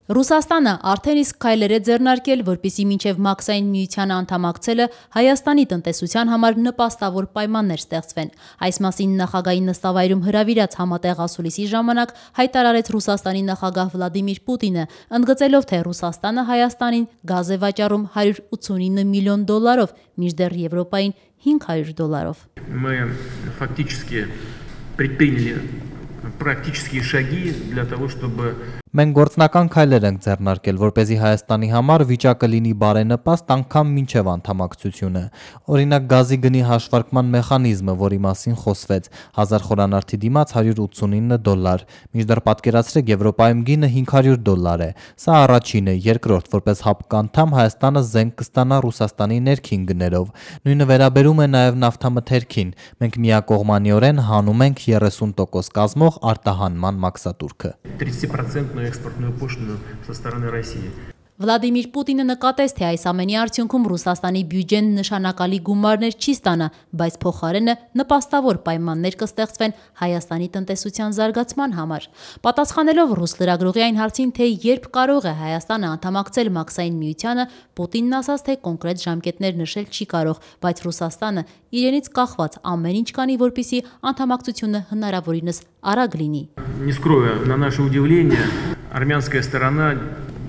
Ռուսաստանը արդեն իսկ քայլեր է ձեռնարկել, որպեսզի մինչև Մաքսային միությանը անդամակցելը Հայաստանի տնտեսության համար նպաստավոր պայմաններ ստեղծվեն։ Այս մասին նախագահի նստավայրում հրավիրած համատեղ ասուլիսի ժամանակ հայտարարեց Ռուսաստանի նախագահ Վլադիմիր Պուտինը, ընդգծելով, թե Ռուսաստանը Հայաստանին գազ է վաճառում $189 միլիոն, մինչդեռ Եվրոպային $500։ Мы фактически предприняли практические шаги для того, чтобы Մենք գործնական քայլեր ենք ձեռնարկել, որպեսզի Հայաստանի համար վիճակը լինի բարենպաստ անգամ մինչև անդամակցությունը։ Օրինակ գազի գնի հաշվարկման մեխանիզմը, որի մասին խոսվեց, 1000 խորանարդի դիմաց $189, մինչդեռ պատկերացրեք Եվրոպայում գինը $500 է։ Սա առաջինը, երկրորդ, որպես ՀԱՊԿ Հայաստանը զենք կստանա Ռուսաստանի ներքին գներով։ Նույնը վերաբերում է նաև նավթամթերքին։ Մենք միակողմանիորեն հանում ենք 30% կազմող արտահանման մաքսատուրքը։ 30% экспортную пошлину со стороны России. Վլադիմիր Պուտինը նկատեց, թե այս ամենի արդյունքում Ռուսաստանի բյուջեն նշանակալի գումարներ չի ստանա, բայց փոխարենը նպաստավոր պայմաններ կստեղծվեն Հայաստանի տնտեսության զարգացման համար։ Պատասխանելով ռուս լրագրողի այն հարցին, թե երբ կարող է Հայաստանը անդամակցել Մաքսային միությանը, Պուտինն ասաց, թե կոնկրետ ժամկետներ նշել չի կարող, բայց Ռուսաստանը իրենից կախված ամեն ինչ կանի, որպեսզի անդամակցությունը հնարավորինս արագ լինի։ Не скрою, на наше удивление, армянская сторона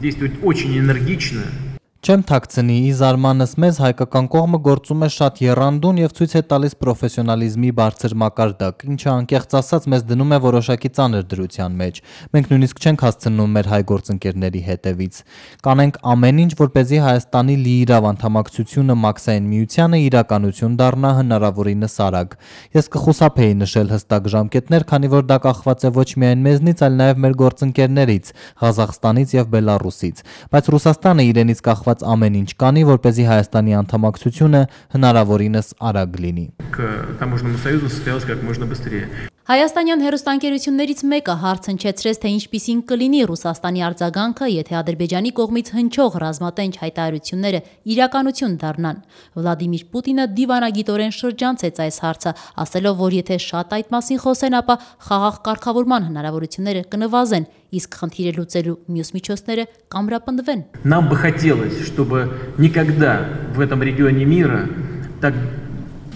действует очень энергично. Չեմ թաքցնի, ի զարմանս մեզ հայկական կողմը գործում է շատ եռանդուն եւ ցույց է տալիս պրոֆեսիոնալիզմի բարձր մակարդակ, ինչը անկեղծ ասած մեզ դնում է որոշակի ծանր դրության մեջ։ Մենք նույնիսկ չենք հասցնում մեր հայ գործընկերների հետևից։ Կանենք ամեն ինչ, որպեսզի Հայաստանի լիիրավ անդամակցությունը Մաքսային միությանը իրականություն դառնա հնարավորինս արագ։ Ես կխուսափեի նշել հստակ ժամկետներ, քանի որ դա կախված է ոչ միայն մեզնից, այլ նաեւ մեր գործընկերներից, Ղազախստանից եւ Բելարուսից, բայց Ռուսաստանը իրենից կախված ամեն ինչ կանի, որպեսզի Հայաստանի անդամակցությունը հնարավորինս արագ լինի։ К таможенному союзу состоялось как можно быстрее. Հայաստանյան հեռուստաընկերություններից մեկը հարց հնչեցրեց, թե ինչպիսին կլինի Ռուսաստանի արձագանքը, եթե Ադրբեջանի կողմից հնչող ռազմատենչ հայտարարությունները իրականություն դառնան։ Վլադիմիր Պուտինը դիվանագիտորեն շրջանցեց այս հարցը, ասելով, որ եթե շատ այդ մասին խոսեն, ապա խաղաղ կարգավորման հնարավորությունները կնվազեն, իսկ խնդիրը լուծելու մյուս միջոցները կամրապնդվեն։ Нам бы хотелось, чтобы никогда в этом регионе мира, так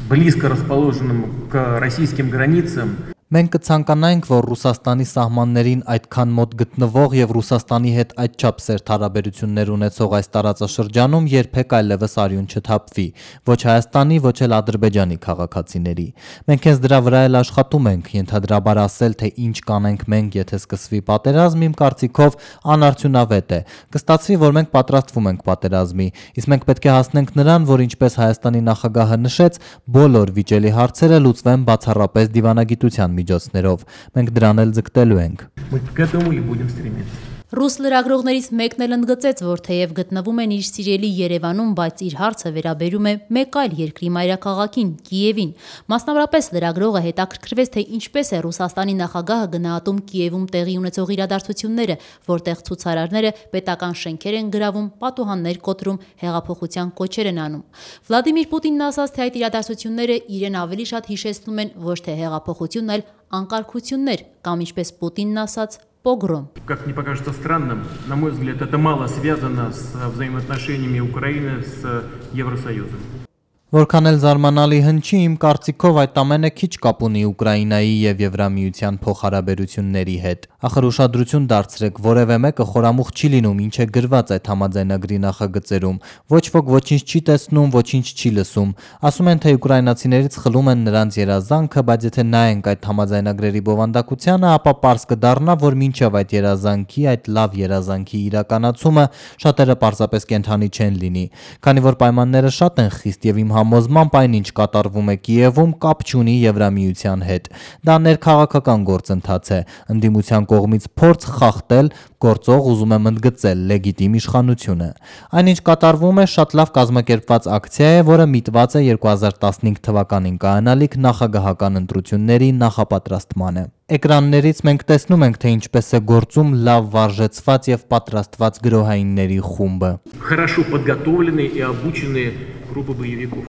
близко расположенном к российским границам, Մենք կցանկանայինք, որ Ռուսաստանի սահմաններին այդքան մոտ գտնվող եւ Ռուսաստանի հետ այդչափ սերտ հարաբերություններ ունեցող այս տարածաշրջանում երբեք այլևս արյուն չթափվի, ոչ Հայաստանի, ոչ էլ Ադրբեջանի քաղաքացիների։ Մենք հենց դրա վրա էլ աշխատում ենք, ենթադրաբար ասել, թե ինչ կանենք մենք, եթե սկսվի պատերազմ, իմ կարծիքով անարդյունավետ է։ Կստացվի, որ մենք պատրաստվում ենք պատերազմի, իսկ մենք պետք է հասնենք նրան, որ ինչպես Հայաստանի նախագահը նշեց, բոլոր վիճելի հարցերը լուծվեն բացառապես դիվանագիտության միջոցներով։ Մենք դրան էլ ձգտելու ենք։ мы к этому и будем стремиться. Ռուս լրագրողներից մեկն էլ ընդգծեց, որ թեև գտնվում են իր սիրելի Երևանում, բայց իր հարցը վերաբերում է մեկ այլ երկրի մայրաքաղաքին՝ Կիևին։ Մասնավորապես լրագրողը հետաքրքրվեց, թե ինչպես է Ռուսաստանի նախագահը գնահատում Կիևում տեղի ունեցող իրադարձությունները, որտեղ ցուցարարները պետական շենքեր են գրավում, պատուհաններ կոտրում, հեղափոխության կոչեր են անում։ Վլադիմիր Պուտինն ասաց, թե այդ իրադարձությունները իրեն ավելի շատ հիշեցնում են ոչ թե հեղափոխություն, այլ անկարգություններ, կամ ինչպես Պուտինն ասաց, погром. Как не покажется странным, на мой взгляд, это мало связано с взаимоотношениями Украины с Евросоюзом. Որքան էլ զարմանալի հնչի, իմ կարծիքով այդ ամենը քիչ կապ ունի Ուկրաինայի եւ Եվրամիության փոխհարաբերությունների հետ։ Ախր ուշադրություն դարձրեք, որևէ մեկը խորամուխ չի լինում, ինչ է գրված այդ համաձայնագրի նախագծերում։ Ոչ ոք ոչինչ չի տեսնում, ոչինչ չի լսում։ Ասում են, թե ուկրաինացիներից խլում են նրանց երազանքը, բայց եթե նայենք այդ համաձայնագրերի բովանդակությանը, ապա պարզ կդառնա, որ մինչև այդ երազանքի, այդ լավ երազանքի իրականացումը շատերը պարզապես կենթանի չեն լինի, քանի որ պայմանները շատ են խիստ եւ իմ համոզմամբ այն ինչ կատարվում է Կիևում կապ չունի Եվրամիության հետ։ Դա ներքաղաքական գործընթաց է, ընդդիմության կողմից փորձ խախտել գործող ուզում եմ ընդգծել լեգիտիմ իշխանությունը։ Այնինչ կատարվում է շատ լավ կազմակերպված ակցիա է, որը միտված է 2015 թվականին կայանալիք նախագահական ընտրությունների նախապատրաստմանը։ Էկրաններից մենք տեսնում ենք, թե ինչպես է գործում լավ վարժեցված եւ պատրաստված գրոհայինների խումբը։ Хорошо подготовленные и обученные группы боевиков.